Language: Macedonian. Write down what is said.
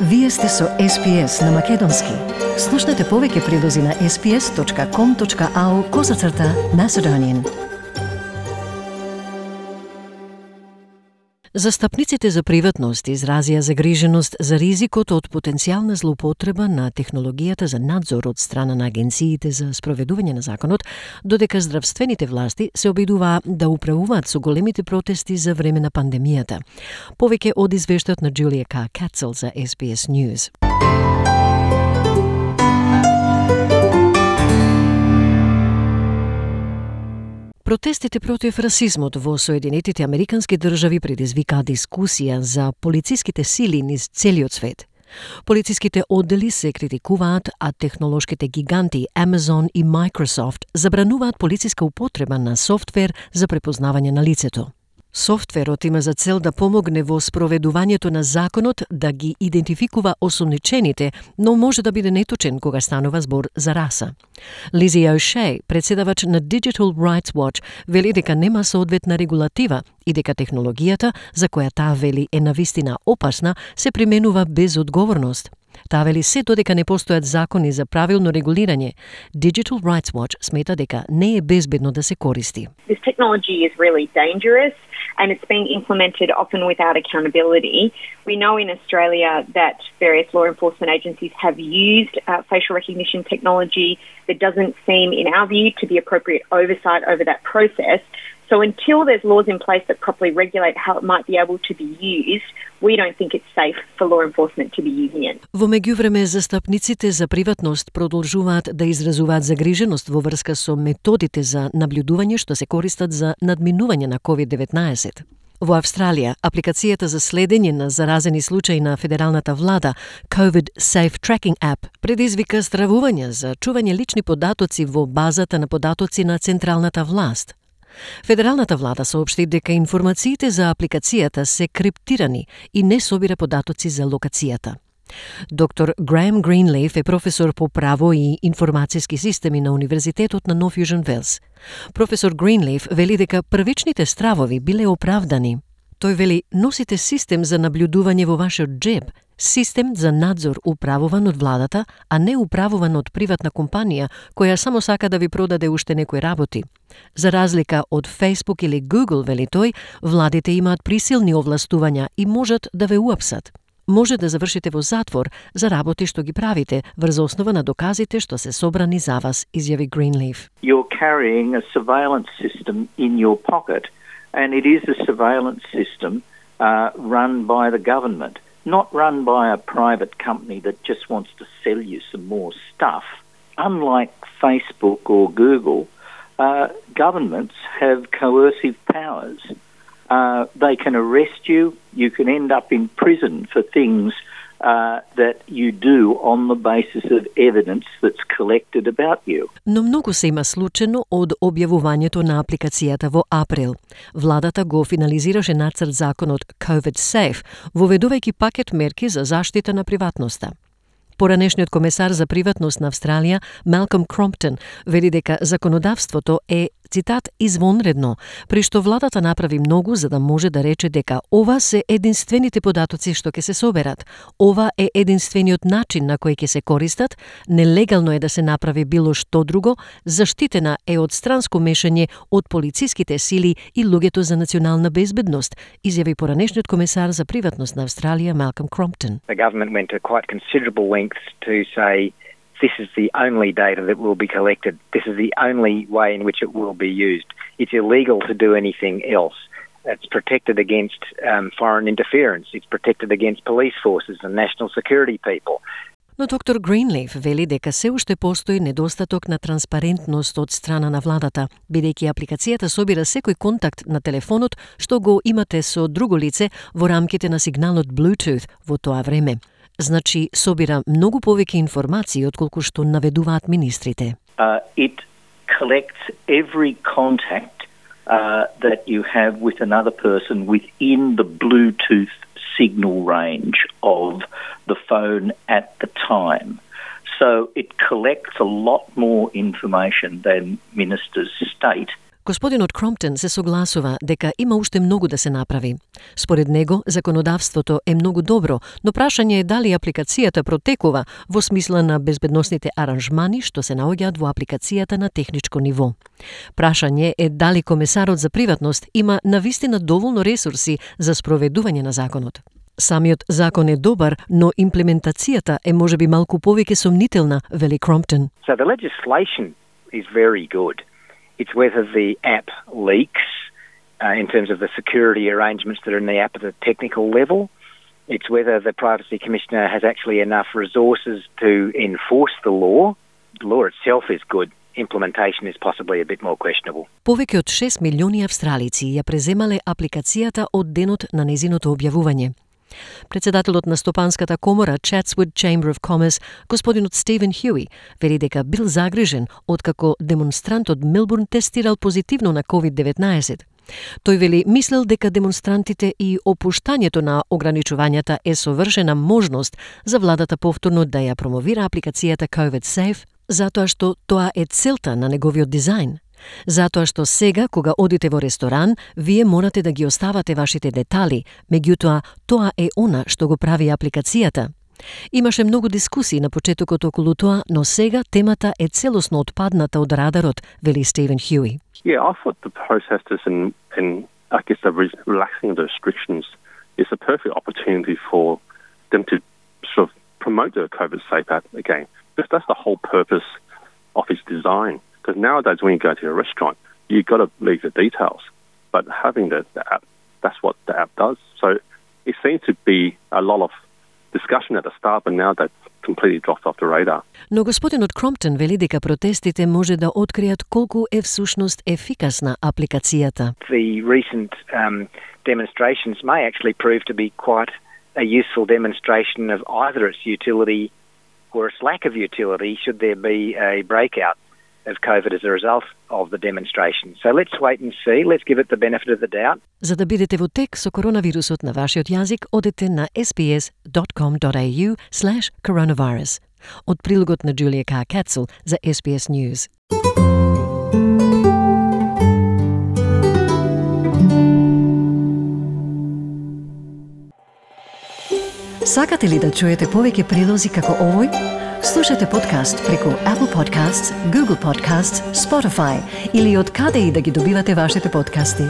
Вие сте со SPS на Македонски. Слушнете повеќе прилози на sps.com.au/Macedonian. Застапниците за приватност изразија загриженост за ризикот од потенцијална злоупотреба на технологијата за надзор од страна на агенциите за спроведување на законот, додека здравствените власти се обидуваа да управуваат со големите протести за време на пандемијата. Повеќе од извештајот на Джулија Кацел за SBS News. Протестите против расизмот во Соединетите Американски држави предизвикаа дискусија за полициските сили низ целиот свет. Полициските оддели се критикуваат, а технолошките гиганти Amazon и Microsoft забрануваат полициска употреба на софтвер за препознавање на лицето. Софтверот има за цел да помогне во спроведувањето на законот да ги идентификува осомничените, но може да биде неточен кога станува збор за раса. Лизи О'Шей, председавач на Digital Rights Watch, вели дека нема соодветна регулатива и дека технологијата, за која таа вели е навистина опасна, се применува без одговорност. Таа вели се додека не постојат закони за правилно регулирање. Digital Rights Watch смета дека не е безбедно да се користи. This technology is really dangerous and it's being implemented often without accountability. We know in Australia that various law enforcement agencies have used facial recognition technology. There doesn't seem, in our view, to be appropriate oversight over that process. So until there's laws in place that properly regulate how it might be able to be used, we don't think it's safe for law enforcement to be using it. Во меѓувреме, застапниците за приватност продолжуваат да изразуваат загриженост во врска со методите за наблюдување што се користат за надминување на COVID-19. Во Австралија, апликацијата за следење на заразени случаи на федералната влада, COVID Safe Tracking App, предизвика стравување за чување лични податоци во базата на податоци на централната власт. Федералната влада соопшти дека информациите за апликацијата се криптирани и не собира податоци за локацијата. Доктор Граем Гринлейф е професор по право и информацијски системи на Универзитетот на Нов Јужен Велс. Професор Гринлейф вели дека првичните стравови биле оправдани. Тој вели, носите систем за наблюдување во вашиот джеб, систем за надзор управуван од владата, а не управуван од приватна компанија која само сака да ви продаде уште некои работи. За разлика од Facebook или Google, вели тој, владите имаат присилни овластувања и можат да ве уапсат. Може да завршите во затвор за работи што ги правите врз основа на доказите што се собрани за вас, изјави Гринлейф. You're carrying a surveillance system in your pocket, and it is a surveillance system run by the government, not run by a private company that just wants to sell you some more stuff. Unlike Facebook or Google, governments have coercive powers. They can arrest you. You can end up in prison for things that you do on the basis of evidence that's collected about you. Но многу се има случено од објавувањето на апликацијата во април. Владата го финализираше нацрт законот COVID Safe, воведувајќи пакет мерки за заштита на приватноста. Поранешниот комесар за приватност на Австралија, Малком Кромптон, вели дека законодавството е, цитат, извонредно, при што владата направи многу за да може да рече дека ова се единствените податоци што ќе се соберат, ова е единствениот начин на кој ќе се користат, нелегално е да се направи било што друго, заштитена е од странско мешање од полициските сили и луѓето за национална безбедност, изјави поранешниот комесар за приватност на Австралија, Малком Кромптон. The government went to quite considerable lengths to say this is the only data that will be collected. This is the only way in which it will be used. It's illegal to do anything else. It's protected against foreign interference. It's protected against police forces and national security people. Но доктор Гринлейф вели дека се уште постои недостаток на транспарентност од страна на владата, бидејќи апликацијата собира секој контакт на телефонот што го имате со друго лице во рамките на сигналот Bluetooth во тоа време. Значи, собира многу повеќе информации отколку што наведуваат министрите. It collects every contact that you have with another person within the Bluetooth signal range of the phone at the time. So it collects a lot more information than ministers state. Господинот Кромптон се согласува дека има уште многу да се направи. Според него, законодавството е многу добро, но прашање е дали апликацијата протекува во смисла на безбедносните аранжмани што се наоѓаат во апликацијата на техничко ниво. Прашање е дали комесарот за приватност има навистина доволно ресурси за спроведување на законот. Самиот закон е добар, но имплементацијата е можеби малку повеќе сомнителна, вели Кромптон. So the legislation is very good. It's whether the app leaks in terms of the security arrangements that are in the app at a technical level. It's whether the Privacy Commissioner has actually enough resources to enforce the law. The law itself is good. Implementation is possibly a bit more questionable. Повеќе од 6 милиони австралици ја преземале апликацијата од денот на незиното објавување. Председателот на Стопанската комора Chatswood Chamber of Commerce, господинот Стивен Хјуи, вели дека бил загрижен откако демонстрант од Мелбурн тестирал позитивно на COVID-19. Тој вели мислел дека демонстрантите и опуштањето на ограничувањата е совршена можност за владата повторно да ја промовира апликацијата COVID Safe, затоа што тоа е целта на неговиот дизајн. Затоа што сега, кога одите во ресторан, вие морате да ги оставате вашите детали, меѓутоа тоа е она што го прави апликацијата. Имаше многу дискусии на почетокот околу тоа, но сега темата е целосно отпадната од радарот, вели Стивен Хјуи. Yeah, I thought the protesters and I guess the relaxing of the restrictions is a perfect opportunity for them to sort of promote the COVID Safe app again. Because that's the whole purpose of its design. Because nowadays when you go to a restaurant, you've got to leave the details. But having the app, that's what the app does. So it seems to be a lot of discussion at the start, but now that's completely dropped off the radar. Но господинот Кромптон вели дека протестите може да откријат колку е всушност ефикасна апликацијата. The recent demonstrations may actually prove to be quite a useful demonstration of either its utility or its lack of utility should there be a breakout of COVID as a result of the demonstration. So let's wait and see. Let's give it the benefit of the doubt. За да бидете во тек со коронавирусот на вашиот јазик, одете на sbs.com.au/coronavirus. Од прилогот на Джулија К. Кацел за SBS News. Сакате ли да чуете повеќе прилози како овој? Слушате подкаст преку Apple Podcasts, Google Podcasts, Spotify или од каде и да ги добивате вашите подкасти.